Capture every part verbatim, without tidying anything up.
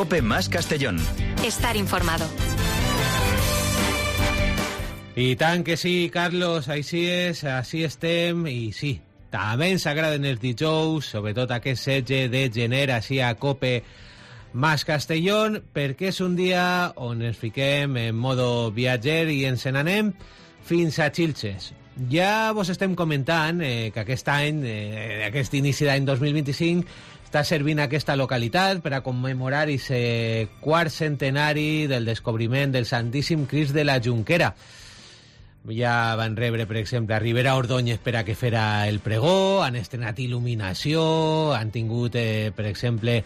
COPE más Castellón. Estar informado. I tant que sí, Carlos, així és, així estem, i sí, també ens agraden els dijous, sobretot aquest setze de gener, així a COPE más Castellón, perquè és un dia on ens fiquem en modo viatger i ens n'anem fins a Xilxes. Ja vos estem comentant eh, que aquest any, eh, aquest inici d'any dos mil vint-i-cinc, està servint aquesta localitat per a commemorar aquest quart centenari del descobriment del Santíssim Crist de la Jonquera. Ja van rebre, per exemple, a Ribera Ordóñez per a que fera el pregó, han estrenat il·luminació, han tingut, eh, per exemple,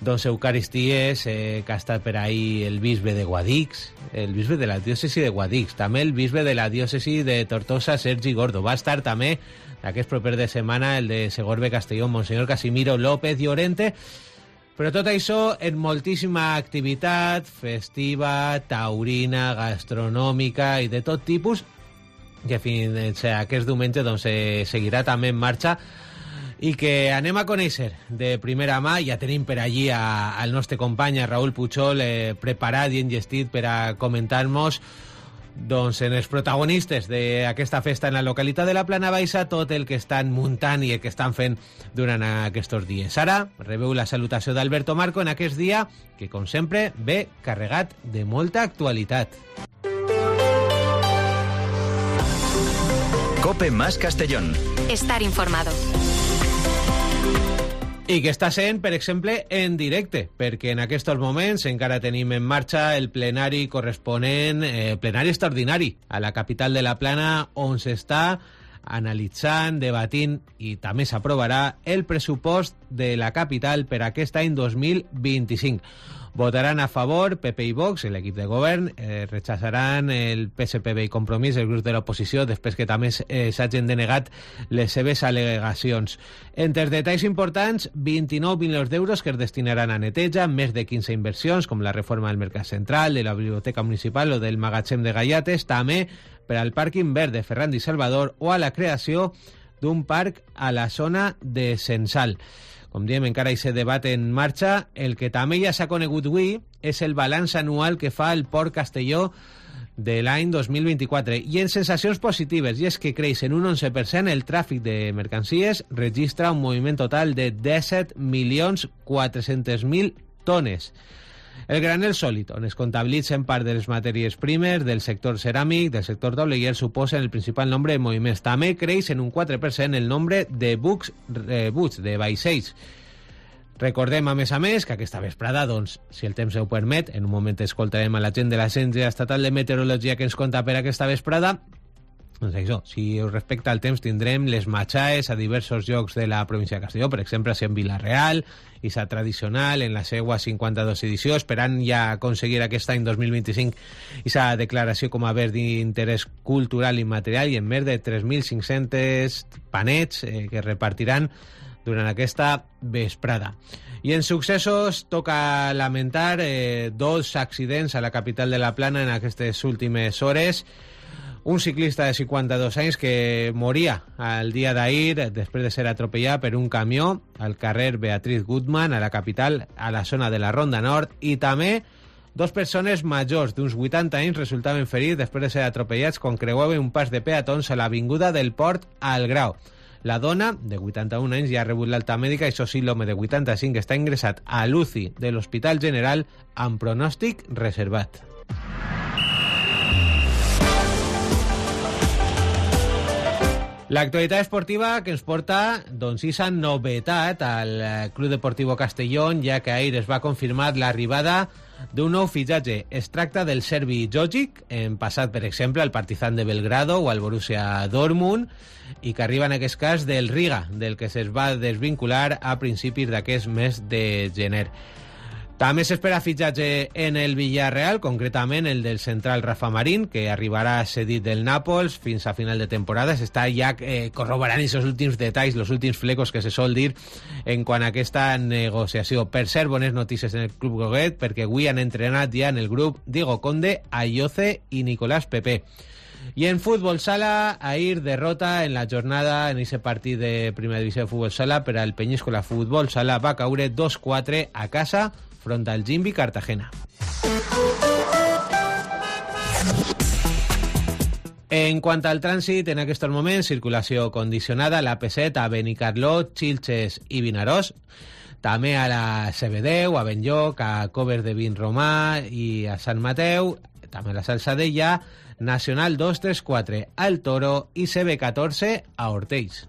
doncs Eucaristies, eh, que ha estat per ahí el bisbe de Guadix, el bisbe de la diòcesi de Guadix, també el bisbe de la diòcesi de Tortosa, Sergi Gordo. Va estar també, aquest proper de setmana, el de Segorbe Castelló, Monsenyor Casimiro López Llorente. Però tot això en moltíssima activitat festiva, taurina, gastronòmica i de tot tipus, que fins a aquest diumenge doncs, eh, seguirà també en marxa i que anem a conèixer de primera mà. Ja tenim per allí a, al nostre company, a Raúl Puchol, eh, preparat i enllestit per a comentar-nos doncs, en els protagonistes d'aquesta festa en la localitat de la Plana Baixa, tot el que estan muntant i el que estan fent durant aquests dies. Ara rebeu la salutació d'Alberto Marco en aquest dia que, com sempre, ve carregat de molta actualitat. COPE más Castellón. Estar informado. I que està sent, per exemple, en directe, perquè en aquests moments encara tenim en marxa el plenari corresponent, eh, plenari extraordinari a la capital de la Plana, on s'està analitzant, debatint i també s'aprovarà el pressupost de la capital per aquest any dos mil vint-i-cinc. Votaran a favor P P i Vox, l'equip de govern, eh, rechaçaran el P S P B i Compromís, el grup de l'oposició, després que també eh, s'hagin denegat les seves al·legacions. Entre els detalls importants, vint-i-nou milions d'euros que es destinaran a neteja, més de quinze inversions, com la reforma del Mercat Central, de la Biblioteca Municipal o del Magatzem de Gallates, també per al pàrquing verd de Ferrand i Salvador o a la creació d'un parc a la zona de Censal. Com diem, encara hi se debat en marxa. El que també ja s'ha conegut avui és el balanç anual que fa el Port Castelló de l'any dos mil vint-i-quatre. I en sensacions positives, i és que creix en un onze per cent el tràfic de mercancies, registra un moviment total de disset milions quatre-cents mil tones. El granel sòlid, on es comptabilitzen part de les matèries primes del sector ceràmic, del sector doble, i el suposen el principal nombre de moviments. També creix en un quatre per cent el nombre de bucs, eh, bucs de vaixells. Recordem, a més a més, que aquesta vesprada, doncs, si el temps ho permet, en un moment escoltarem a la gent de l'Agència Estatal de Meteorologia que ens conta per aquesta vesprada. Doncs això, si us respecta al temps, tindrem les matxaes a diversos llocs de la província de Castelló, per exemple, en Vila-real, i sa tradicional en la seva cinquanta-dos edició, esperant ja aconseguir aquest any dos mil vint-i-cinc i sa declaració com a bé d'interès cultural i material, i en més de tres mil cinc-cents panets eh, que repartiran durant aquesta vesprada. I en successos toca lamentar eh, dos accidents a la capital de la Plana en aquestes últimes hores. Un ciclista de cinquanta-dos anys que moria el dia d'ahir després de ser atropellat per un camió al carrer Beatriz Gutmann, a la capital, a la zona de la Ronda Nord, i també dos persones majors d'uns vuitanta anys resultaven ferits després de ser atropellats quan creuaven un pas de peatons a l'avinguda del Port al Grau. La dona, de vuitanta-un anys, ja ha rebut l'alta mèdica, i això sí, l'home de vuitanta-cinc està ingressat a l'U C I de l'Hospital General amb pronòstic reservat. L'actualitat esportiva que ens porta, doncs, aquesta novetat al Club Deportivo Castellón, ja que ahir es va confirmar l'arribada d'un nou fitxatge. Es tracta del serbi Jogic, en passat, per exemple, al Partizan de Belgrado o al Borussia Dortmund, i que arriba en aquest cas del Riga, del que se's va desvincular a principis d'aquest mes de gener. També s'espera fitxatge en el Villarreal, concretament el del central Rafa Marín, que arribarà cedit del Nàpols fins a final de temporada. S'està ja eh, corroborant aquests últims detalls, els últims flecos que se sol dir en quant a aquesta negociació. Per cert, bones notícies en el Club Goguet, perquè avui han entrenat ja en el grup Diego Conde, Ayoce i Nicolás Pepe. I en futbol sala, ahir derrota en la jornada en aquest partit de primera divisió de futbol sala per al Peñíscola Futbol Sala. Va caure dos quatre a casa front al Gimbi Cartagena. En quant al trànsit, en aquests moments, circulació condicionada a la P set a Benicarló, Xilxes i Vinaròs, també a la C B deu, a Benlloc, a Coves de Vinromà i a Sant Mateu, també a la Salsadella, Nacional dos tres quatre al Toro i C B catorze a Hortells.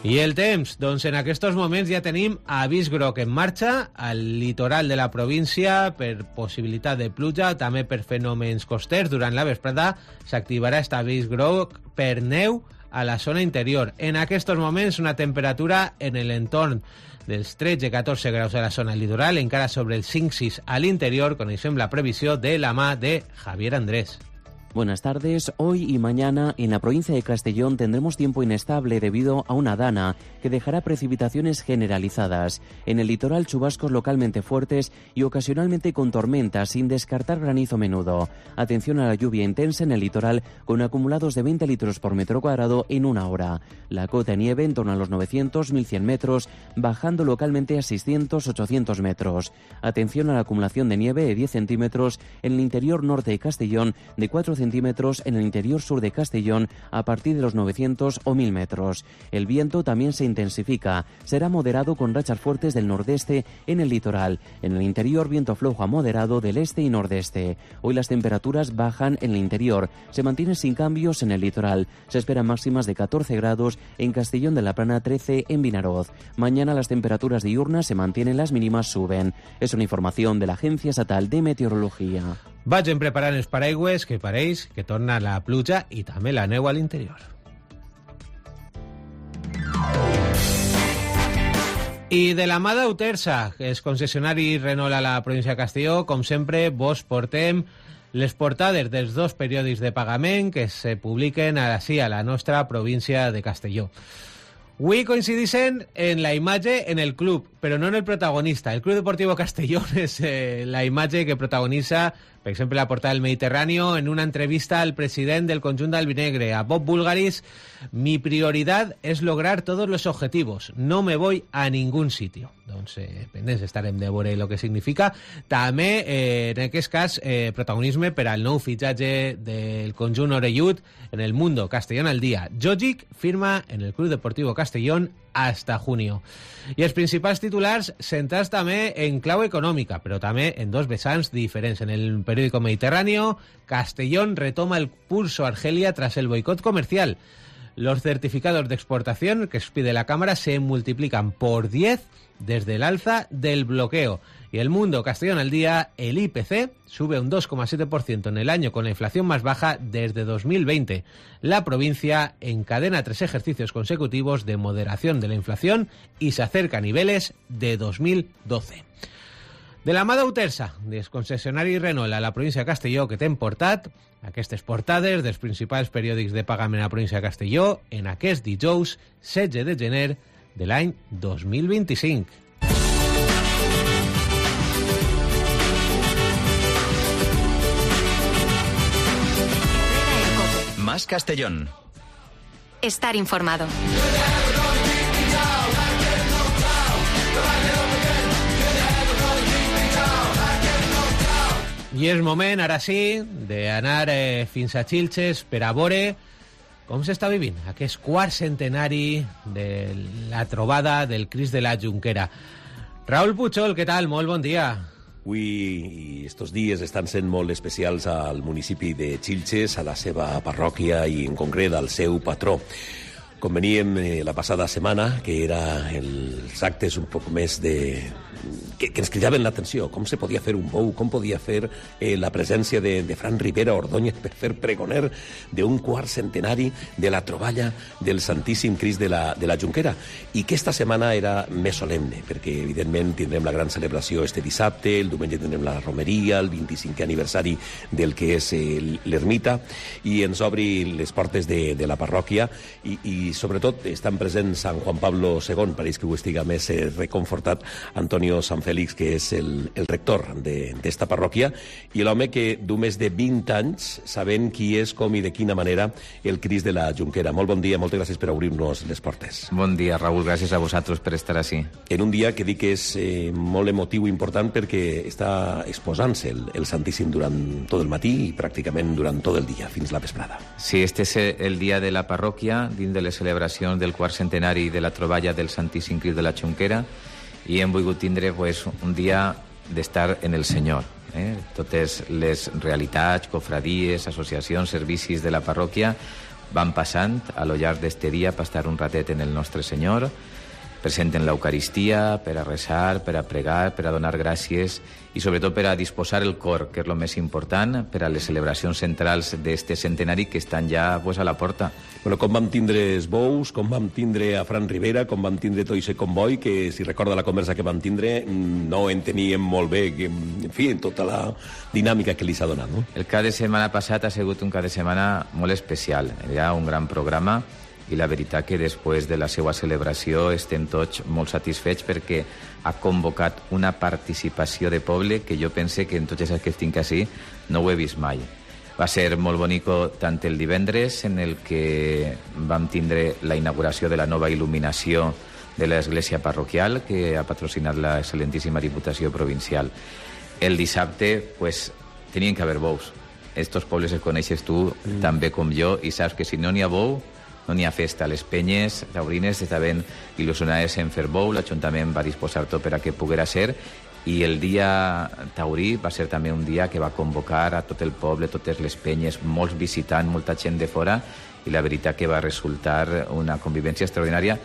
I el temps? Doncs en aquests moments ja tenim avís groc en marxa al litoral de la província per possibilitat de pluja, també per fenòmens costers. Durant la vesprada s'activarà aquest avís groc per neu a la zona interior. En aquests moments una temperatura en l'entorn dels tretze a catorze graus a la zona litoral, encara sobre els cinc sis a l'interior. Coneixem la previsió de la mà de Javier Andrés. Buenas tardes. Hoy y mañana en la provincia de Castellón tendremos tiempo inestable debido a una dana que dejará precipitaciones generalizadas. En el litoral, chubascos localmente fuertes y ocasionalmente con tormentas, sin descartar granizo menudo. Atención a la lluvia intensa en el litoral con acumulados de veinte litros por metro cuadrado en una hora. La cota de nieve en torno a los novecientos a mil cien metros, bajando localmente a seiscientos a ochocientos metros. Atención a la acumulación de nieve de diez centímetros en el interior norte de Castellón, de cuatro centímetros en el interior sur de Castellón a partir de los novecientos o mil metros. El viento también se intensifica. Será moderado con rachas fuertes del nordeste en el litoral. En el interior, viento flojo a moderado del este y nordeste. Hoy las temperaturas bajan en el interior. Se mantienen sin cambios en el litoral. Se esperan máximas de catorce grados en Castellón de la Plana, trece en Vinaroz. Mañana las temperaturas diurnas se mantienen, las mínimas suben. Es una información de la Agencia Estatal de Meteorología. Vagin preparant els paraigües, que pareix que torna la pluja i també la neu a l'interior. I de la mà d'Autersa, els concessionaris Renault a la província de Castelló, com sempre, vos portem les portades dels dos periòdics de pagament que se publiquen així a la nostra província de Castelló. Avui coincideixen en la imatge en el club, però no en el protagonista. El Club Deportivo Castellón és eh, la imatge que protagonitza, per exemple, la portada del Mediterráneo, en una entrevista al president del conjunt d'Albinegre, a Bob Bulgaris: mi prioridad es lograr todos los objetivos, no me voy a ningún sitio. Doncs eh, pendents estarem de veure el que significa. També, eh, en aquest cas, eh, protagonisme per al nou fitxatge del conjunt orellut en el Mundo Castellón al Día. Jogic firma en el Club Deportivo Castellón hasta junio. I els principals titulars centrats també en clau econòmica, però també en dos vessants diferents. En el periódico Mediterráneo, Castellón retoma el pulso a Argelia tras el boicot comercial. Los certificados de exportación que expide la Cámara se multiplican por diez desde el alza del bloqueo. Y el Mundo Castellón al Día, el I P C sube un dos coma siete por ciento en el año con la inflación más baja desde dos mil veinte. La provincia encadena tres ejercicios consecutivos de moderación de la inflación y se acerca a niveles de dos mil doce. De la mà d'Autersa, dels concessionaris Renault a la província de Castelló, que t'hem portat aquestes portades dels principals periòdics de pagament a la província de Castelló en aquest dijous setze de gener de l'any dos mil vint-i-cinc. Más Castellón. Estar informado. I és moment, ara sí, d'anar eh, fins a Xilxes per a veure com s'està vivint aquest quart centenari de la trobada del Crist de la Jonquera. Raúl Puchol, què tal? Molt bon dia. Avui i estos dies estan sent molt especials al municipi de Xilxes, a la seva parròquia i en concret al seu patró. Com veníem eh, la passada setmana, que era els actes un poc més de... Que, que ens cridaven l'atenció, com se podia fer un bou, com podia fer eh, la presència de, de Fran Rivera Ordóñez per fer pregoner d'un quart centenari de la troballa del Santíssim Crist de la, de la Jonquera, i que esta setmana era més solemne, perquè evidentment tindrem la gran celebració este dissabte, el diumenge tindrem la romeria, el vint-i-cinquè aniversari del que és eh, l'ermita, i ens obri les portes de, de la parròquia, i, i i sobretot estan presents Sant Juan Pablo segon, pareix que ho estiga més eh, reconfortat, Antonio San Félix, que és el, el rector d'esta de, parròquia, i l'home que du més de vint anys sabent qui és, com i de quina manera el Crist de la Junquera. Molt bon dia, moltes gràcies per obrir-nos les portes. Bon dia, Raúl, gràcies a vosaltres per estar així. En un dia que dic que és eh, molt emotiu i important perquè està exposant-se el, el Santíssim durant tot el matí i pràcticament durant tot el dia, fins la vesprada. Sí, este és el dia de la parròquia, dins de les celebracions del quart centenari de la troballa del Santíssim Crist de la Junquera, i hem volgut tindre pues, un dia d'estar en el Senyor. Eh? Totes les realitats, cofradies, associacions, servicis de la parròquia van passant a lo llarg d'este dia per estar un ratet en el nostre Senyor, presenten l'Eucaristia per a resar, per a pregar, per a donar gràcies i sobretot per a disposar el cor, que és el més important, per a les celebracions centrals d'este centenari que estan ja pues, a la porta. Bueno, com vam tindre els bous, com vam tindre a Fran Rivera, com vam tindre tot aquest comboi, que si recorda la conversa que vam tindre no enteníem molt bé, que, en fi, tota la dinàmica que li s'ha donat, no? El cap de setmana passat ha sigut un cap de setmana molt especial. Hi ha un gran programa i la veritat que després de la seva celebració estem tots molt satisfets perquè ha convocat una participació de poble que jo pense que en tots els que estic així no ho he vist mai. Va ser molt bonico tant el divendres, en el que vam tindre la inauguració de la nova il·luminació de l'església parroquial que ha patrocinat la excel·lentíssima Diputació Provincial. El dissabte, pues, tenien que haver bous. Estos pobles els coneixes tu mm. tan bé com jo i saps que si no n'hi ha bou, no n'hi ha festa. Les penyes taurines estaven il·lusionades en fer bou, l'Ajuntament va disposar tot per a que poguera ser, i el dia taurí va ser també un dia que va convocar a tot el poble, totes les penyes, molts visitants, molta gent de fora, i la veritat que va resultar una convivència extraordinària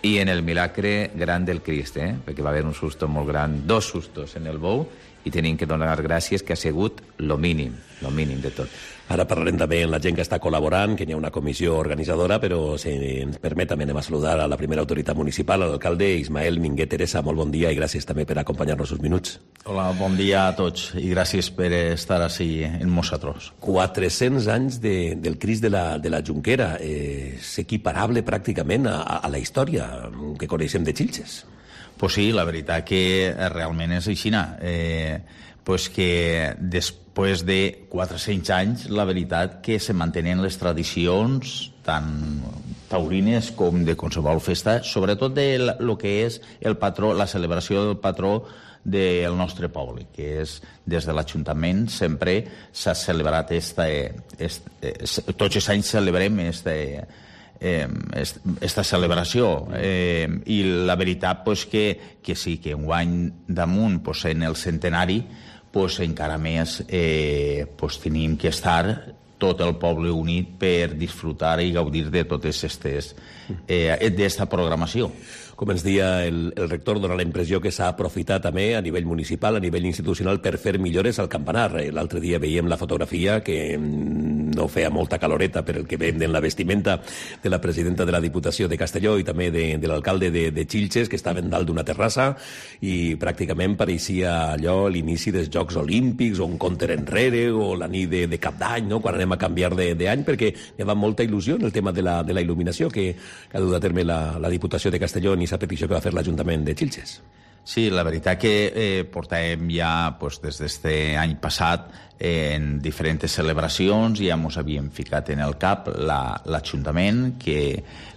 i en el milagre gran del Crist, eh? Perquè va haver un susto molt gran, dos sustos en el bou, i tenim que donar gràcies que ha sigut lo mínim, lo mínim de tot. Ara parlarem també amb la gent que està col·laborant, que hi ha una comissió organitzadora, però si ens permet també anem a saludar a la primera autoritat municipal, l'alcalde Ismael Minguet Teresa. Molt bon dia i gràcies també per acompanyar-nos uns minuts. Hola, bon dia a tots i gràcies per estar així en nosaltres. quatre-cents anys de, del Crist de la, de la Junquera, eh, és equiparable pràcticament a, a la història que coneixem de Xilxes. Pues sí, la veritat que realment és així. Eh, pues que després de quatre-cents anys, la veritat que se mantenen les tradicions tant taurines com de qualsevol festa, sobretot de lo que és el patró, la celebració del patró del nostre poble, que és des de l'Ajuntament sempre s'ha celebrat esta, este, tots els anys celebrem este, eh, esta celebració eh, i la veritat pues, que, que sí, que enguany damunt pues, en el centenari pues, encara més eh, pues, tenim que estar tot el poble unit per disfrutar i gaudir de totes aquestes eh, d'esta programació. Com ens deia el, el rector, dona la impressió que s'ha aprofitat també a nivell municipal, a nivell institucional, per fer millores al campanar. L'altre dia veiem la fotografia que no feia molta caloreta per el que veiem en la vestimenta de la presidenta de la Diputació de Castelló i també de, de l'alcalde de, de Xilxes, que estaven dalt d'una terrassa i pràcticament pareixia allò l'inici dels Jocs Olímpics o un compte enrere o la nit de, de cap d'any, no? Quan anem a canviar d'any, perquè hi havia molta il·lusió en el tema de la, de la il·luminació que, que ha dut a terme la, la Diputació de Castelló i aquesta petició que va fer l'Ajuntament de Xilxes. Sí, la veritat que eh, portàvem ja pues, des d'este any passat eh, en diferents celebracions i ja ens havíem ficat en el cap l'Ajuntament la, que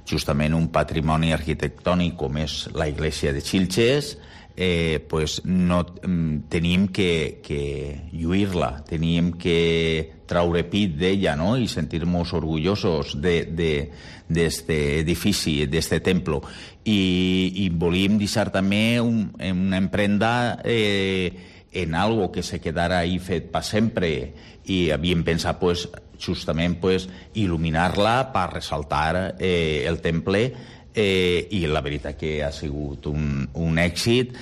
justament un patrimoni arquitectònic com és la Iglesia de Xilxes eh, pues, no, teníem que, que lluir-la, teníem que traure pit d'ella, no? I sentir-nos orgullosos d'este edifici, d'este templo. I, i volíem deixar també un, una emprenda eh, en algo que se quedara ahí fet per sempre. I havíem pensat, pues, justament, pues, il·luminar-la per ressaltar eh, el temple eh, i la veritat que ha sigut un, un èxit.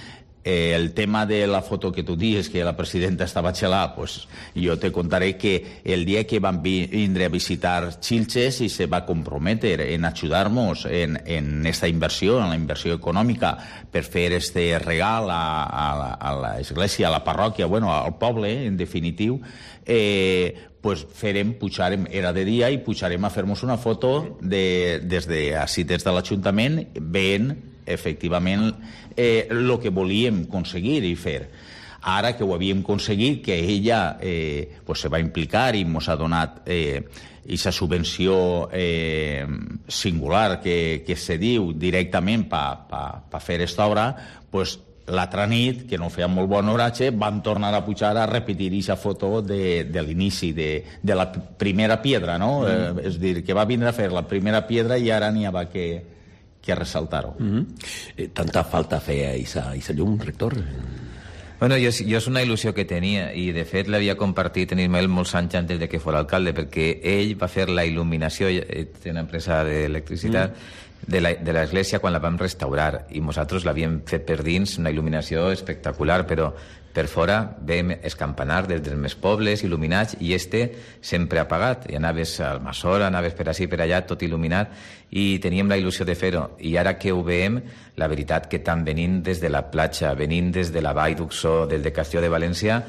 Eh, el tema de la foto que tú dices, que la presidenta estaba chelada, pues yo te contaré que el día que van vindre a visitar Xilxes y se va a comprometer en ayudarnos en, en esta inversión, en la inversión econòmica, per fer este regal a, a, a l'església, a la parròquia, bueno, al poble, en definitiu, eh, pues farem, pujarem, era de dia, i pujarem a fer-nos una foto de, des de, així, des de l'Ajuntament, veient efectivament eh, el que volíem aconseguir i fer. Ara que ho havíem aconseguit, que ella eh, pues se va implicar i ens ha donat eh, aquesta subvenció eh, singular que, que se diu directament per pa, pa fer aquesta obra, pues l'altra nit, que no feia molt bon oratge, van tornar a pujar a repetir aquesta foto de, de l'inici, de, de la primera piedra, no? Mm. Eh, és a dir, que va vindre a fer la primera piedra i ara n'hi havia que que ressaltar-ho. Mm-hmm. eh, tanta falta feia aquesta llum, rector? Bueno, jo, jo és una il·lusió que tenia i de fet l'havia compartit en Ismael molts anys antes de que fos alcalde, perquè ell va fer la il·luminació, té una empresa d'electricitat, mm. de l'església quan la vam restaurar i nosaltres l'havíem fet per dins, una il·luminació espectacular, però per fora veiem els campanars des dels més pobles il·luminats i este sempre apagat. I anaves al Masora, anaves per ací, per allà, tot il·luminat, i teníem la il·lusió de fer-ho. I ara que ho veiem, la veritat que tant venint des de la platja, venint des de la Vall d'Uxó, des de Castelló de València,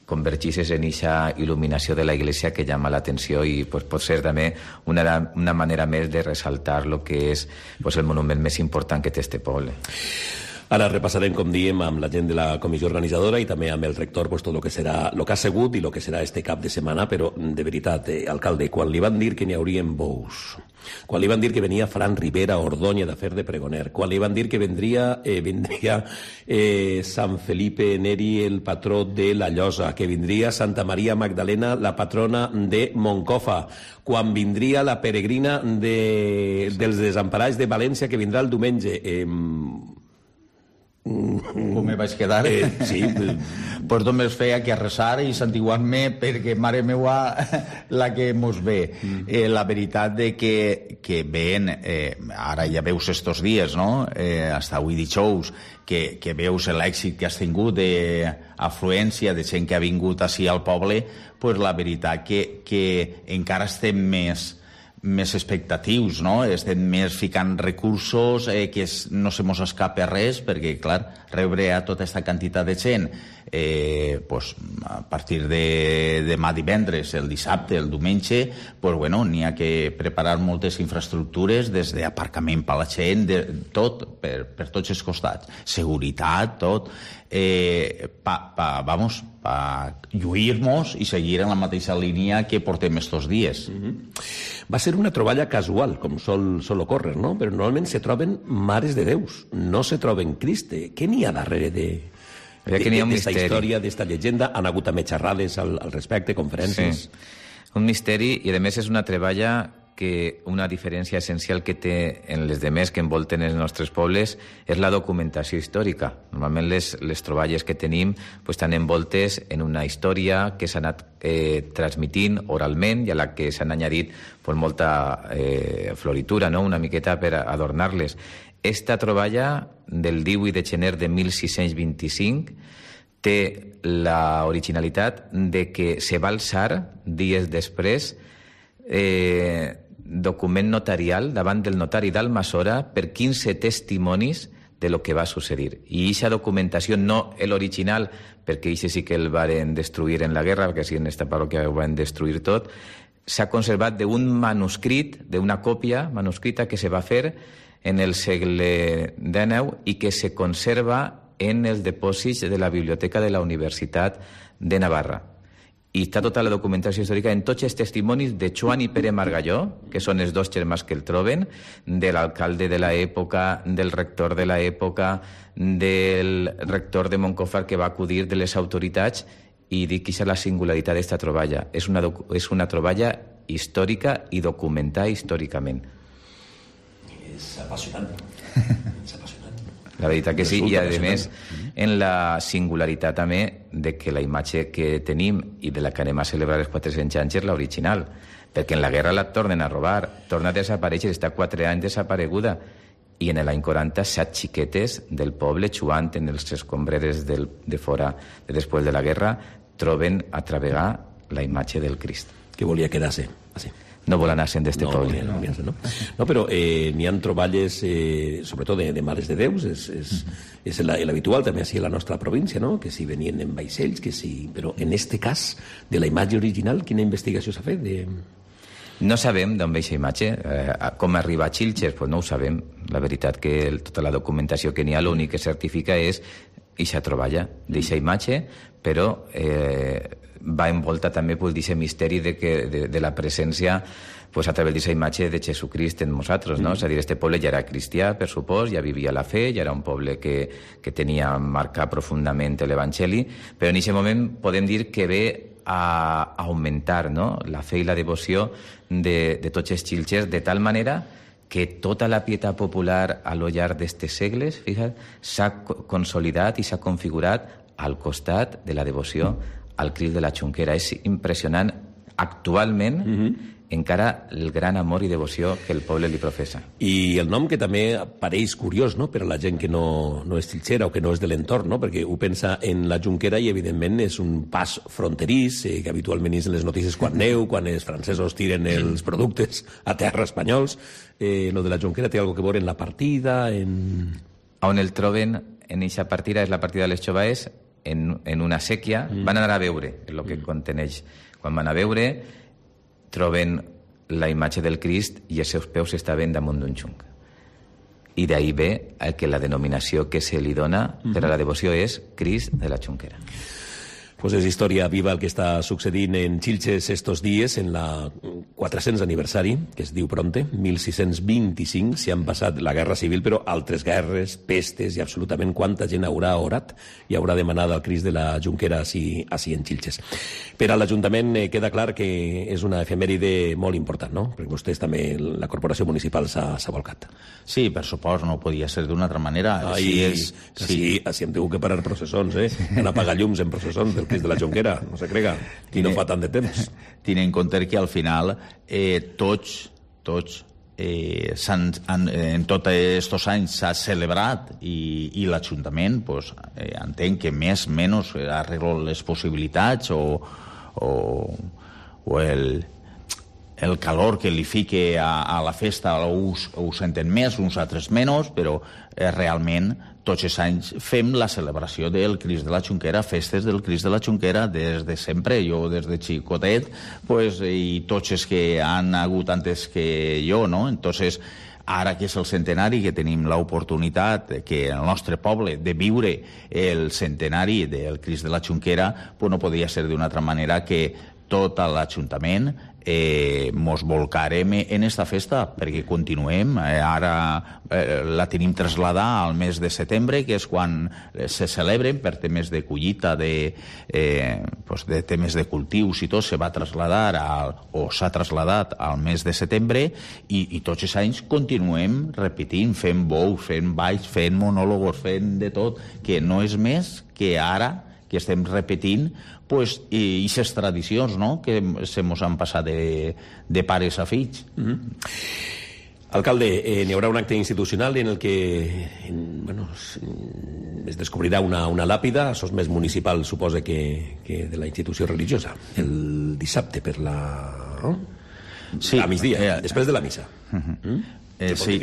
convergisses en aquesta il·luminació de la iglesia que llama l'atenció i pues, pot ser també una, una manera més de ressaltar el que és pues, el monument més important que té este poble. Ara repassarem, com diem, amb la gent de la comissió organitzadora i també amb el rector pues, tot el que serà, el que ha sigut i el que serà este cap de setmana, però de veritat, eh, alcalde, quan li van dir que n'hi haurien bous, quan li van dir que venia Fran Rivera a Ordoña de fer de pregoner, quan li van dir que vendria, eh, vendria eh, Sant Felipe Neri, el patró de la Llosa, que vindria Santa Maria Magdalena, la patrona de Moncofa, quan vindria la peregrina de, dels desemparats de València, que vindrà el diumenge. Eh, Com me vaig quedar? Eh, sí. Pues només feia que resar i santiguar-me perquè mare meua la que mos ve. Mm. Eh, la veritat de que, que veient, eh, ara ja veus estos dies, no? Eh, hasta avui dijous, que, que veus l'èxit que has tingut d'afluència de gent que ha vingut així al poble, pues la veritat que, que encara estem més més expectatius, no? Estem més ficant recursos, eh, que es, no se mos escapa res, perquè, clar, rebre a tota aquesta quantitat de gent eh, pues, a partir de demà divendres, el dissabte, el diumenge, pues, bueno, n'hi ha que preparar moltes infraestructures, des d'aparcament per la gent, de, tot, per, per tots els costats. Seguretat, tot. Eh, pa, pa, vamos, pa lluir-nos i seguir en la mateixa línia que portem estos dies. Mm-hmm. Va ser una troballa casual, com sol, sol ocórrer, no? Però normalment se troben mares de Déus, no se troben Criste. Què n'hi ha darrere de d'esta història, d'esta llegenda? Han hagut també xerrades al, al respecte, conferències? Sí. Un misteri, i a més és una treballa que una diferència essencial que té en les demés que envolten els nostres pobles és la documentació històrica. Normalment les, les troballes que tenim pues, estan envoltes en una història que s'ha anat eh, transmitint oralment i a la que s'han añadit pues, molta eh, floritura, no? Una miqueta per adornar-les. Esta troballa del divuit de gener de mil sis-cents vint-i-cinc té l'originalitat de que se va alçar dies després eh, document notarial davant del notari d'Almassora per quinze testimonis de lo que va succeir. I aquesta documentació, no l'original, perquè això sí que el varen destruir en la guerra, perquè sí en esta parròquia ho van destruir tot, s'ha conservat d'un manuscrit, d'una còpia manuscrita que se va fer en el segle dinou i que se conserva en els depòsits de la Biblioteca de la Universitat de Navarra. I està tota la documentació històrica en tots els testimonis de Joan i Pere Margalló, que són els dos germans que el troben, de l'alcalde de l'època, del rector de l'època, del rector de Montcofar que va acudir de les autoritats, i dic que és la singularitat d'esta troballa. És una, és una troballa històrica i documentada històricament. És apassionant. És apassionant. La veritat que sí, i a més en la singularitat també de que la imatge que tenim i de la que anem a celebrar els quatre-cents anys és l'original, perquè en la guerra la tornen a robar, torna a desaparèixer, està quatre anys desapareguda, i en l'any quaranta set xiquetes del poble, jugant en els escombreres del, de fora de després de la guerra, troben a travegar la imatge del Crist. Que volia quedar-se, així. No vol anar-se'n d'este no, poble. No, no, no. no però eh, n'hi ha troballes, eh, sobretot de, de mares de déus, és, és, és l'habitual també així a la nostra província, no? Que si venien en vaixells, que si... Però en este cas, de la imatge original, quina investigació s'ha fet? De... No sabem d'on ve aquesta imatge. Eh, com arriba a Xilxes, pues no ho sabem. La veritat que el, tota la documentació que n'hi ha, l'únic que certifica és eixa troballa d'eixa imatge, però eh, va envolta també pues, d'aquest misteri de, que, de, de la presència pues, a través d'aquesta imatge de Jesucrist en nosaltres, no? Mm. És a dir, este poble ja era cristià, per supòs, ja vivia la fe, ja era un poble que, que tenia marcat profundament l'Evangeli, però en aquest moment podem dir que ve a augmentar, no? La fe i la devoció de, de tots els xilxers, de tal manera que tota la pietat popular a lo llarg d'estes segles, fixa't, s'ha consolidat i s'ha configurat al costat de la devoció al Crist de la Xunquera. És impressionant actualment mm-hmm. encara el gran amor i devoció que el poble li professa. I el nom que també pareix curiós, no?, per a la gent que no, no és xilxera o que no és de l'entorn, no?, perquè ho pensa en la Junquera i evidentment és un pas fronterís eh, que habitualment és en les notícies quan neu, quan els francesos tiren els productes a terra espanyols. Eh, lo de la Junquera té alguna que veure en la partida, en... On el troben en eixa partida és la partida de les Xobaes, en, en una sèquia. Mm. Van anar a veure el que mm. conteneix. Quan van a veure, troben la imatge del Crist i els seus peus estaven damunt d'un xunc. I d'ahí ve el que la denominació que se li dona mm-hmm. per a la devoció és Crist de la Xunquera. Pues és història viva el que està succeint en Xilxes estos dies, en la quatre-cents aniversari, que es diu pronte, mil sis-cents vint-i-cinc, s'hi han passat la guerra civil, però altres guerres, pestes i absolutament quanta gent haurà orat i haurà demanat al Crist de la Junquera així, així en Xilxes. Per a l'Ajuntament eh, queda clar que és una efemèride molt important, no? Perquè vostès també, la corporació municipal s'ha volcat. Sí, per supost, no podia ser d'una altra manera. Ai, sí, és, sí, sí, així hem tingut que parar processons, eh? Han apagat llums en processons del Crist de la Junquera, no se crega, i no fa tant de temps. Tenint en compte que al final eh, tots, tots eh, han, han, en tots aquests anys s'ha celebrat i, i l'Ajuntament pues, eh, entenc que més o menys arregla les possibilitats o, o, o el, el calor que li fique a, a la festa ho, ho senten més, uns altres menys, però eh, realment tots els anys fem la celebració del Crist de la Xunquera, festes del Crist de la Xunquera des de sempre, jo des de xicotet, pues, i tots els que han hagut antes que jo, no? Entonces, ara que és el centenari, que tenim l'oportunitat que el nostre poble de viure el centenari del Crist de la Xunquera, pues no podria ser d'una altra manera que tot l'Ajuntament eh, mos volcarem en esta festa perquè continuem. Eh, ara eh, la tenim trasladar al mes de setembre, que és quan se celebren per temes de collita, de, eh, pues de temes de cultius i tot, se va trasladar al, o s'ha traslladat al mes de setembre i, i tots els anys continuem repetint, fent bous, fent balls, fent monòlogos, fent de tot, que no és més que ara que estem repetint pues, i aquestes tradicions, no?, que se mos han passat de, de pares a fills. Mm-hmm. Alcalde, eh, n'hi haurà un acte institucional en el que en, bueno, es descobrirà una, una làpida, això és més municipal, suposa, que, que de la institució religiosa, el dissabte per la... No? Sí. A migdia, eh, després de la missa. Uh-huh. Mm? Eh, sí.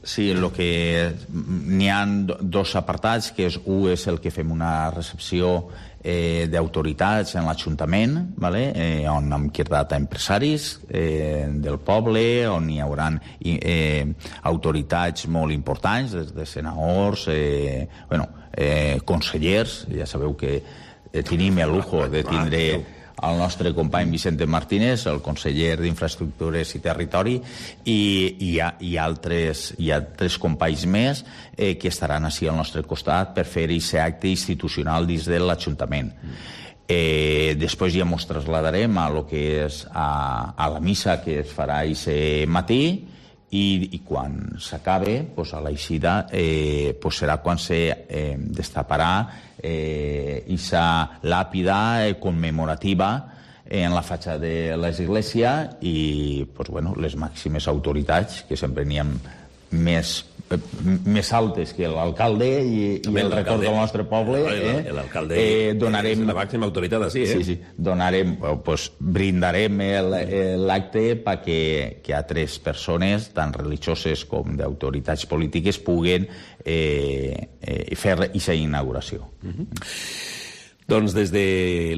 Sí, lo que n'hi ha dos apartats, que és un és el que fem una recepció eh, d'autoritats en l'Ajuntament, ¿vale? eh, on hem quedat a empresaris eh, del poble, on hi haurà eh, autoritats molt importants, des de senadors, eh, bueno, eh, consellers, ja sabeu que eh, tenim el lujo de tindre el nostre company Vicente Martínez, el conseller d'Infraestructures i Territori, i, i, hi, ha, i altres, hi ha tres companys més eh, que estaran així al nostre costat per fer aquest acte institucional dins de l'Ajuntament. Eh, després ja ens traslladarem a lo que és a, a la missa que es farà aquest matí, i, i quan s'acabe, pues, a l'eixida, eh, pues serà quan se eh, destaparà eh, aquesta làpida eh, commemorativa en la fatxada de l'església i pues, bueno, les màximes autoritats, que sempre n'hi ha més més altes que l'alcalde i, i el record del nostre poble, eh? L'alcalde eh, donarem, és la màxima autoritat així, eh? Sí, sí, donarem, pues, brindarem l'acte perquè que altres persones, tant religioses com d'autoritats polítiques, puguen eh, eh, fer aquesta inauguració. Mm-hmm. Doncs des de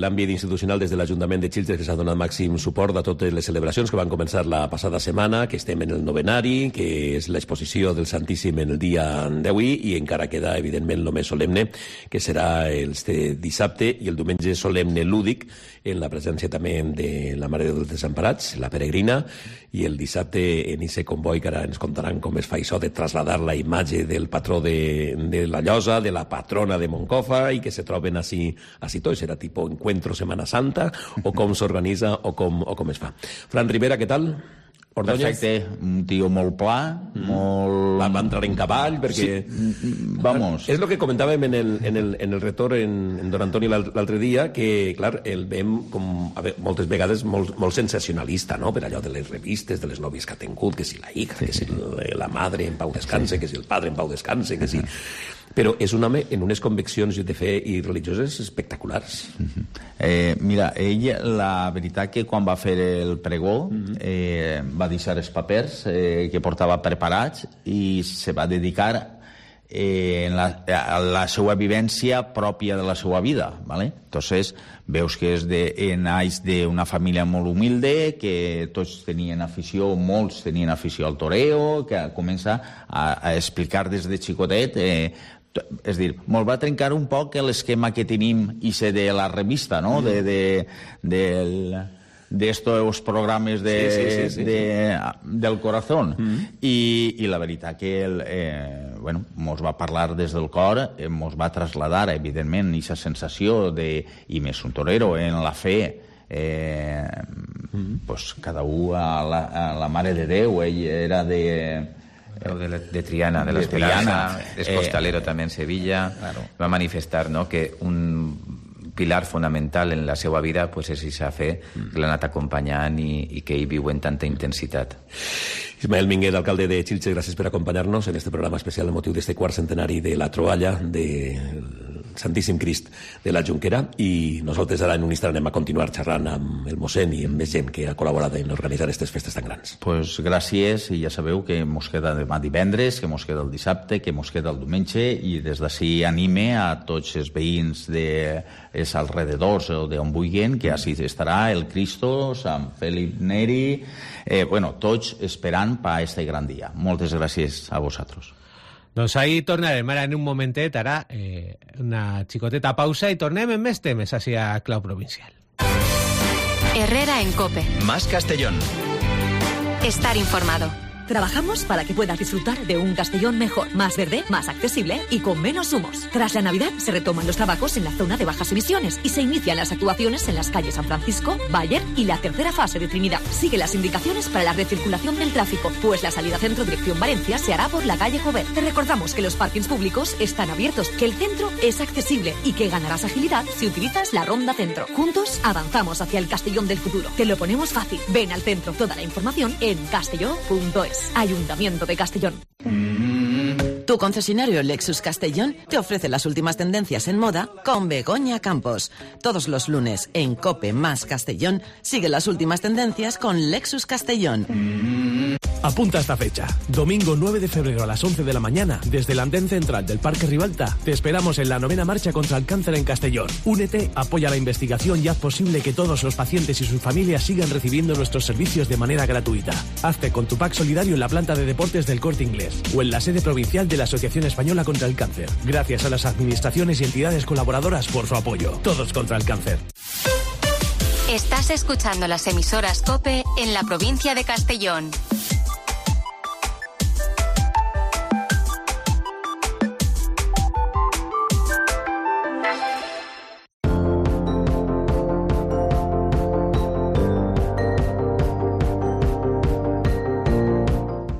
l'àmbit institucional, des de l'Ajuntament de Xilxes, que s'ha donat màxim suport a totes les celebracions que van començar la passada setmana, que estem en el novenari, que és l'exposició del Santíssim en el dia d'avui, i encara queda, evidentment, el més solemne, que serà este dissabte, i el diumenge solemne lúdic, en la presència també de la Mare dels Desemparats, la peregrina, i el dissabte en ese comboi, que ara ens contaran com es fa això de trasladar la imatge del patró de, de la Llosa, de la patrona de Moncofa, i que se troben així, així tot. Serà tipus encuentro Semana Santa, o com s'organitza o, com, o com es fa. Fran Rivera, què tal? Ordóñez? Perfecte, un tio molt pla, mm. molt... Va, va entrar en cavall, perquè... Sí. Vamos. És el que comentàvem en el, en el, en el retorn en, en Don Antoni l'altre dia, que, clar, el veiem com, a veure, moltes vegades molt, molt sensacionalista, no?, per allò de les revistes, de les nòvies que ha tingut, que si la hija, que si la madre en pau descanse, sí. que si el padre en pau descanse, que si... Però és un home en unes conviccions de fe i religioses espectaculars. Uh-huh. eh, mira, ell, la veritat que quan va fer el pregó, uh-huh. eh, va deixar els papers eh, que portava preparats i se va dedicar eh, en la, a la seva vivència pròpia de la seva vida, ¿vale? Entonces, veus que és de, naix d'una família molt humilde, que tots tenien afició, molts tenien afició al toreo, que comença a, a explicar des de xicotet... Eh, és dir, molt va trencar un poc l'esquema que tenim i ser de la revista, no?, de, de, del... d'estos programes de, sí, sí, sí, sí. De, del corazón. Mm. I, i la veritat que el, eh, bueno, mos va parlar des del cor, eh, mos va traslladar, evidentment, aquesta sensació de, i més un torero, en la fe, eh, mm. pues, cada un a la, a la Mare de Déu. Ell era de... De, de Triana, de la Esperanza, es costalero eh, també en Sevilla. Claro. Va manifestar, no?, que un pilar fonamental en la seva vida pues, és aquesta fe que l'ha anat acompanyant i, i que ell viu en tanta intensitat. Ismael Minguet, alcalde de Xilxes, gràcies per acompanyar-nos en este programa especial amb motiu d'este quart centenari de la troballa del Santíssim Crist de la Jonquera, i nosaltres ara en un instant anem a continuar xerrant amb el mossèn i amb més gent que ha col·laborat en organitzar aquestes festes tan grans. Pues gràcies, i ja sabeu que mos queda demà divendres, que mos queda el dissabte, que mos queda el diumenge, i des d'ací anime a tots els veïns dels alrededors o d'on vulguin, que així estarà el Cristo, Sant Felip Neri, eh, bueno, tots esperant per a este gran dia. Moltes gràcies a vosaltres. Doncs ahí tornarem ara en un momentet, ara eh, una xicoteta pausa i tornem en més temes hacia Clau Provincial. Herrera en COPE. Más Castellón. Estar informado. Trabajamos para que puedas disfrutar de un Castellón mejor, más verde, más accesible y con menos humos. Tras la Navidad se retoman los trabajos en la zona de bajas emisiones y se inician las actuaciones en las calles San Francisco, Bayer y la tercera fase de Trinidad. Sigue las indicaciones para la recirculación del tráfico, pues la salida centro dirección Valencia se hará por la calle Jover. Te recordamos que los parkings públicos están abiertos, que el centro es accesible y que ganarás agilidad si utilizas la ronda centro. Juntos avanzamos hacia el Castellón del futuro. Te lo ponemos fácil. Ven al centro. Toda la información en castelló punto es. Ayuntamiento de Castellón. Tu concesionario Lexus Castellón te ofrece las últimas tendencias en moda con Begoña Campos. Todos los lunes en COPE más Castellón sigue las últimas tendencias con Lexus Castellón. Apunta esta fecha. Domingo nueve de febrero a las once de la mañana, desde el andén central del Parque Ribalta, te esperamos en la novena marcha contra el cáncer en Castellón. Únete, apoya la investigación y haz posible que todos los pacientes y sus familias sigan recibiendo nuestros servicios de manera gratuita. Hazte con tu pack solidario en la planta de deportes del Corte Inglés o en la sede provincial de la Asociación Española contra el Cáncer. Gracias a las administraciones y entidades colaboradoras por su apoyo. Todos contra el cáncer. Estás escuchando las emisoras COPE en la provincia de Castellón.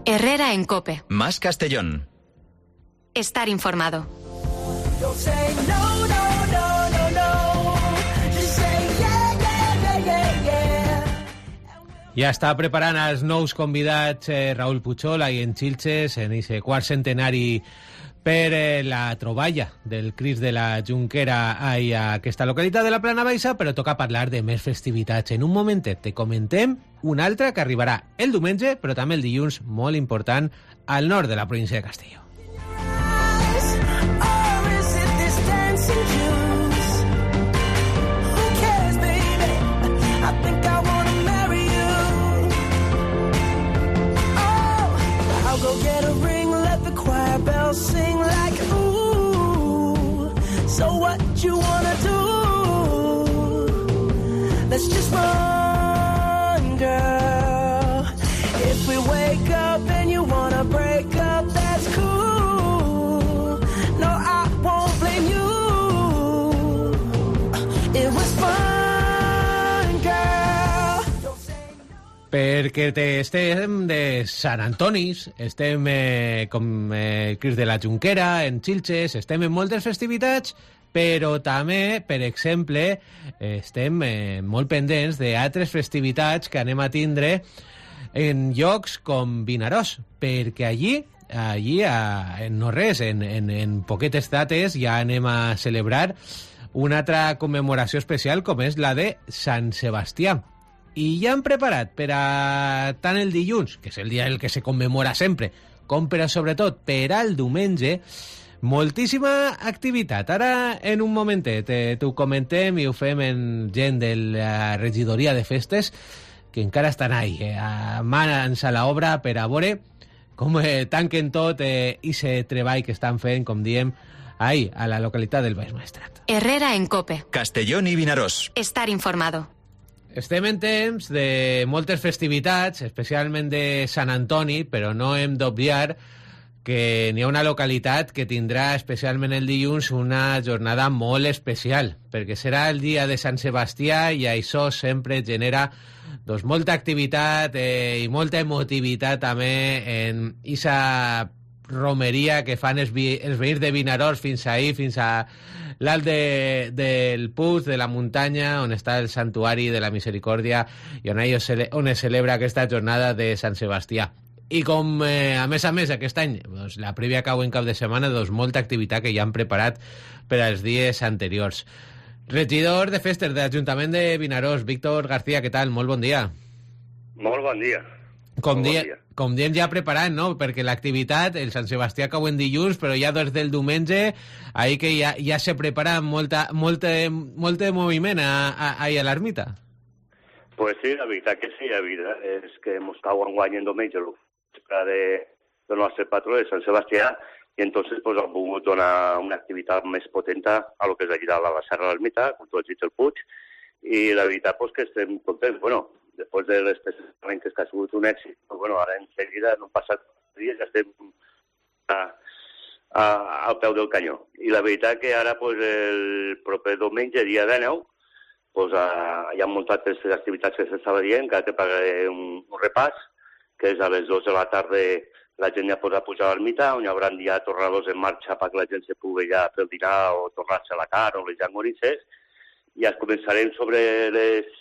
Herrera en COPE. Más Castellón. Estar informado. Ja està preparant els nous convidats eh, Raül Puchol ahí en Xilxes, en aquest quart centenari per eh, la troballa del Crist de la Junquera ahí a aquesta localitat de la Plana Baixa, però toca parlar de més festivitats. En un momentet te comentem una altra que arribarà el diumenge, però també el dilluns, molt important, al nord de la província de Castelló. Sing like ooh, so what you wanna do? Let's just run, girl. If we wake up and you wanna break up, that's cool. No, I won't blame you. It was fun, girl. Perquè te estem de Sant Antonis, estem eh, com eh, Crist de la Junquera, en Xilxes, estem en moltes festivitats, però també, per exemple, estem eh, molt pendents d'altres festivitats que anem a tindre en llocs com Vinaròs, perquè allí, allí a, en no res, en, en, en poquetes dates, ja anem a celebrar una altra commemoració especial com és la de Sant Sebastià. I ja han preparat per a tant el dilluns, que és el dia el que se commemora sempre, com per a, sobretot, per al diumenge, moltíssima activitat. Ara, en un momentet, eh, t'ho comentem i ho fem en gent de la regidoria de festes, que encara estan ahí, eh, a mans a l'obra per a veure com eh, tanquen tot eh, i se treball que estan fent, com diem, ahí, a la localitat del Baix Maestrat. Herrera en Cope. Castellón i Vinaròs. Estar informado. Estem en temps de moltes festivitats, especialment de Sant Antoni, però no hem d'obviar que n'hi ha una localitat que tindrà especialment el dilluns una jornada molt especial, perquè serà el dia de Sant Sebastià i això sempre genera doncs, molta activitat eh, i molta emotivitat també en aquesta romeria que fan els, vi, els veïns de Vinaròs fins ahí, fins a l'alt de, del Puig, de la muntanya, on està el santuari de la Misericòrdia i on, ells, on es celebra aquesta jornada de Sant Sebastià. I com, eh, a més a més, aquest any, doncs, la prèvia cau en cap de setmana, doncs, molta activitat que ja han preparat per als dies anteriors. Regidor de Festes de l'Ajuntament de Vinaròs, Víctor García, què tal? Molt bon dia. Molt bon dia. Com, Molt dia, bon dia. com diem ja preparant, no? Perquè l'activitat, el Sant Sebastià cau en dilluns, però ja des del diumenge, ahí que ja, ja se prepara molta, molt, molt de moviment a, a, a, a l'ermita. Pues sí, la veritat que sí, la veritat és que ens cau enguany en diumenge de, del nostre patró de Sant Sebastià, i entonces pues, han volgut donar una activitat més potenta a lo que és allà dalt a la Serra de l'Ermita, com tu has dit el Puig, i la veritat pues, que estem contents. Bueno, després de les presentacions que ha sigut un èxit, però bueno, ara en seguida no han passat dies, ja estem a, a, al peu del canyó. I la veritat que ara pues, el proper diumenge, dia dinou, pues, a, hi ha muntat aquestes activitats que s'estava dient, que ara te pagaré un, un repàs, que és a les dues de la tarda la gent ja podrà pujar a l'ermita, on hi haurà ja tornadors en marxa perquè la gent se pugui ja fer el dinar o tornar-se a la carn o les llangonisses, i ja començarem sobre les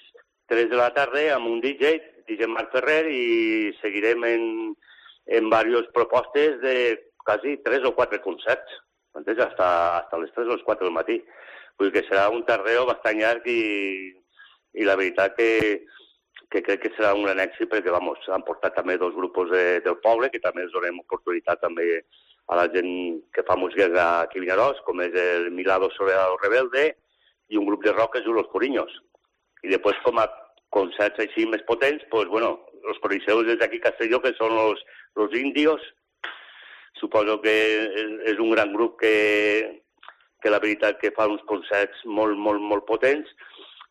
tres de la tarda amb un D J, D J Marc Ferrer, i seguirem en, en diverses propostes de quasi tres o quatre concerts, entens? Hasta, hasta les tres o les quatre del matí. Vull dir que serà un tardeo bastant llarg i, i la veritat que, que crec que serà un gran èxit perquè, vamos, han portat també dos grups de, del poble, que també ens donem oportunitat també a la gent que fa música aquí a Vinaròs, com és el Milado Soledad Rebelde i un grup de rock que és Los Coriños. I després, com a concerts així més potents, pues, bueno, los coriseus des d'aquí Castelló, que són los, los indios, suposo que és, és un gran grup que, que la veritat que fa uns concerts molt, molt, molt potents,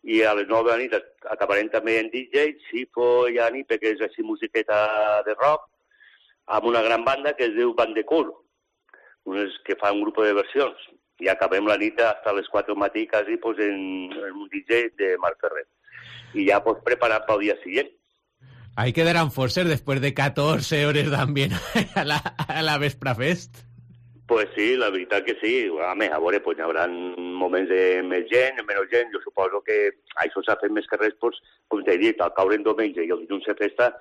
i a les nou de la nit acabarem també en D J, Sifo i Anipe, que és així musiqueta de rock, amb una gran banda que es diu Bandecool, unes que fa un grup de versions. I acabem la nit hasta les quatre del matí quasi pues, en, en un D J de Marc Ferrer. I ja pues, preparat pel dia siguiente. Ahí quedarán forces después de catorce horas también a la, a la Vesprafest. Pues sí, la veritat que sí. A més, a veure, pues, hi haurà moments de més gent, menys gent. Jo suposo que això s'ha fet més que res, pues, com t'he dit, al caure en diumenge i el dilluns de festa,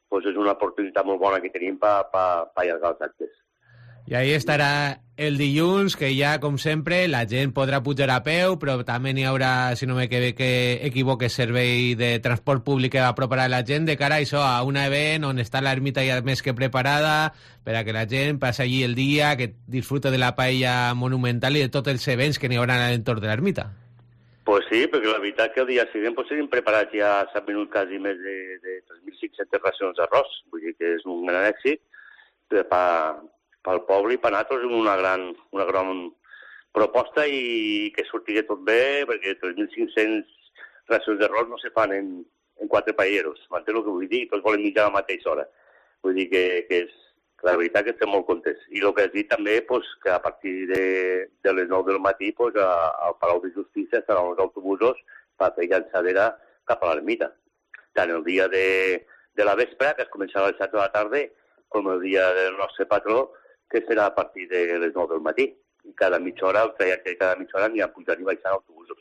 pues, és una oportunitat molt bona que tenim per pa, pa allargar els actes. I ahí estarà el dilluns, que ja, com sempre, la gent podrà pujar a peu, però també n'hi haurà, si no m'equivoque, servei de transport públic que aproparà la gent de cara a això, a un event on està l'ermita ja més que preparada per a que la gent passi allí el dia, que disfruta de la paella monumental i de tots els events que n'hi haurà a l'entorn de l'ermita. Pues sí, perquè la veritat que el dia següent pues, tenim preparat ja s'han venut quasi més de, de tres mil cinc-centes racions d'arròs, vull dir que és un gran èxit per pel poble i per nosaltres és una gran, una gran proposta i que surti tot bé, perquè tres mil cinc-centes racions d'arròs no se fan en, en quatre paelleros, m'entens el que vull dir? Tots volen menjar a la mateixa hora. Vull dir que, que és, la veritat que estem molt contents. I el que has dit també, pues, que a partir de, de les nou del matí pues, a, al Palau de Justícia estaran els autobusos per fer llançadera cap a l'ermita. Tant el dia de, de la vespre, que es començarà a les set de la tarda, com el dia del nostre patró, que serà a partir de les nou del matí. I cada mitja hora, el trajecte de cada mitja hora, n'hi ha pujant i baixant autobusos.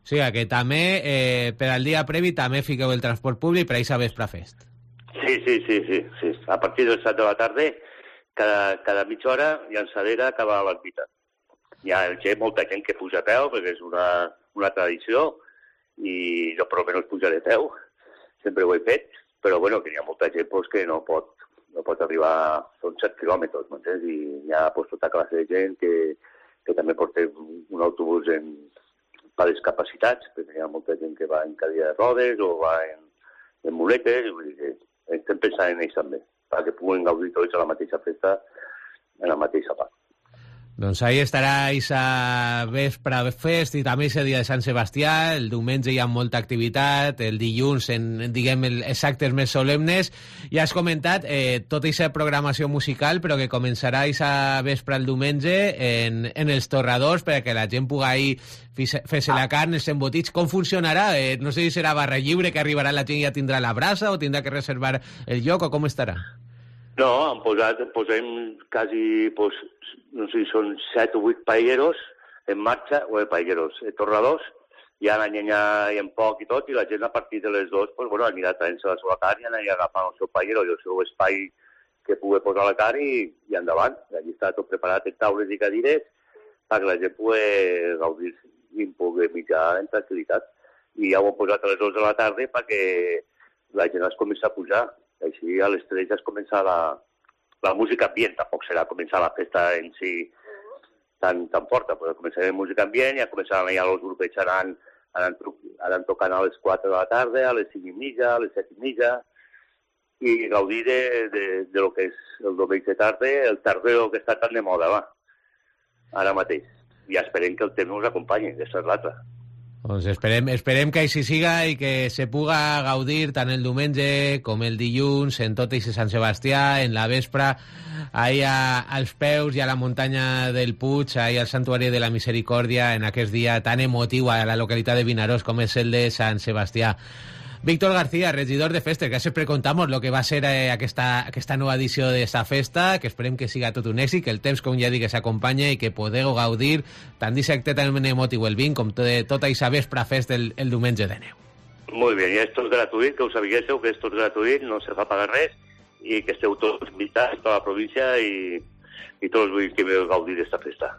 O sigui que també, eh, per al dia previ, també fiqueu el transport públic per a aquesta vespre fest. Sí, sí, sí, sí, sí. A partir de les set de la tarda, cada, cada mitja hora, llançadera acaba a l'ermita. Hi ha gent, molta gent que puja a peu, perquè és una, una tradició, i jo per almenys pujaré a peu, sempre ho he fet, però bueno, que hi ha molta gent pues, que no pot no pot arribar, són set quilòmetres, m'entens? I hi ha pues, tota classe de gent que, que també porta un autobús en, per discapacitats, perquè hi ha molta gent que va en cadira de rodes o va en, en muletes, i vull dir que estem pensant en ells també, perquè puguen gaudir tots a la mateixa festa, en la mateixa part. Doncs ahí estarà aquesta vespre fest i també aquest dia de Sant Sebastià. El diumenge hi ha molta activitat, el dilluns en, diguem, els actes més solemnes. Ja has comentat eh, tota aquesta programació musical, però que començarà aquesta vespre el diumenge en, en els torradors perquè la gent pugui fer-se la carn, els embotits. Com funcionarà? Eh, no sé si serà barra lliure, que arribarà la gent i ja tindrà la brasa, o tindrà que reservar el lloc, o com estarà? No, han posat, posem quasi, pues, no sé si són set o vuit paelleros en marxa, o eh, paelleros, eh, torradors, hi ha la llenya i en poc i tot, i la gent a partir de les dues pues, bueno, anirà traient-se la seva carn i anirà agafant el seu paellero i el seu espai que pugui posar la carn i, i endavant. Allí està tot preparat en taules i cadires perquè la gent pugui gaudir i pugui mitjar en tranquil·litat. I ja ho hem posat a les dues de la tarda perquè la gent es comença a pujar. Així a les tres ja es comença la, la música ambient, tampoc serà començar la festa en si tan, tan forta, però començarà la música ambient, ja començaran ja els grups anant, anant, anant tocant a les quatre de la tarda, a les cinc i mitja, a les set i mitja, i gaudir de, de, de lo que és el diumenge tarda, el tardeo que està tan de moda, va, ara mateix. I esperem que el temps nos acompanyi, aquesta és l'altra. Doncs esperem, esperem que així siga i que se puga gaudir tant el diumenge com el dilluns en tot aquest Sant Sebastià, en la vespre, allà als peus i a la muntanya del Puig, allà al Santuari de la Misericòrdia, en aquest dia tan emotiu a la localitat de Vinaròs com és el de Sant Sebastià. Víctor García, regidor de festes, que sempre contamos lo que va a ser eh, aquesta, aquesta nova edició d'esta festa, que esperem que siga tot un èxit, que el temps, com ja dic, s'acompanya i que podeu gaudir tant d'acte tan emotiu el vint com tot, tota aquesta vespre fest el, el diumenge de neu. Molt bé, i esto és gratuït, que ho sabiguéssiu, que esto és gratuït, no se fa pagar res, i que esteu tots invitats, tota la província, i, i tots vull que veu gaudir d'esta festa.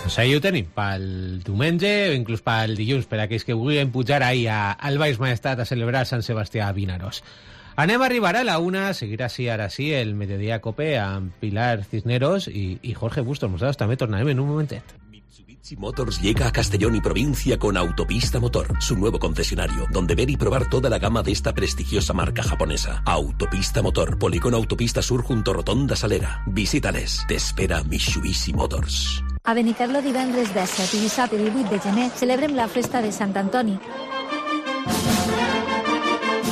Doncs ahí ho tenim, pel diumenge o inclús pel dilluns, per aquells que vulguin pujar ahí a, al Baix Maestat a celebrar Sant Sebastià a Vinaròs. Anem a arribar a la una, seguirà així ara sí el Mediodía Cope amb Pilar Cisneros y, y Jorge Bustos. Nosaltres també tornarem en un momentet. Mitsubishi Motors llega a Castellón y provincia con Autopista Motor, su nuevo concesionario, donde ver y probar toda la gama de esta prestigiosa marca japonesa. Autopista Motor, Polígono Autopista Sur junto a Rotonda Salera. Visítales, te espera Mitsubishi Motors. A Benicarló divendres disset i dissabte divuit de gener celebrem la festa de Sant Antoni.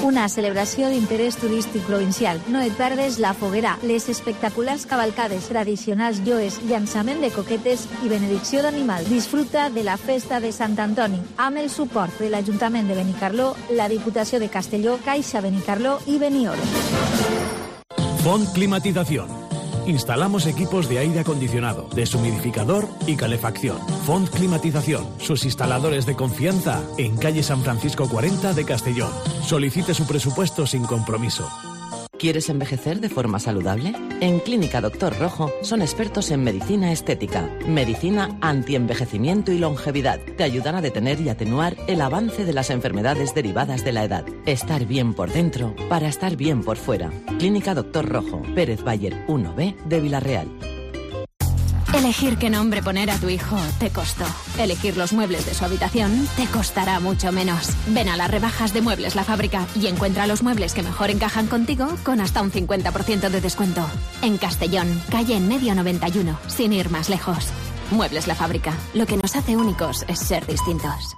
Una celebració d'interès turístic provincial. No et perdes la foguera, les espectaculars cavalcades tradicionals joes, llançament de coquetes i benedicció d'animal. Disfruta de la festa de Sant Antoni amb el suport de l'Ajuntament de Benicarló, la Diputació de Castelló, Caixa Benicarló i Benioro. Font Climatización. Instalamos equipos de aire acondicionado, deshumidificador y calefacción. Font Climatización, sus instaladores de confianza en calle San Francisco cuarenta de Castellón. Solicite su presupuesto sin compromiso. ¿Quieres envejecer de forma saludable? En Clínica Doctor Rojo son expertos en medicina estética, medicina antienvejecimiento y longevidad. Te ayudan a detener y atenuar el avance de las enfermedades derivadas de la edad. Estar bien por dentro para estar bien por fuera. Clínica Doctor Rojo, Pérez Bayer uno B de Villarreal. Elegir qué nombre poner a tu hijo te costó. Elegir los muebles de su habitación te costará mucho menos. Ven a las rebajas de Muebles La Fábrica y encuentra los muebles que mejor encajan contigo con hasta un cincuenta por ciento de descuento. En Castellón, calle en medio noventa y uno, sin ir más lejos. Muebles La Fábrica. Lo que nos hace únicos es ser distintos.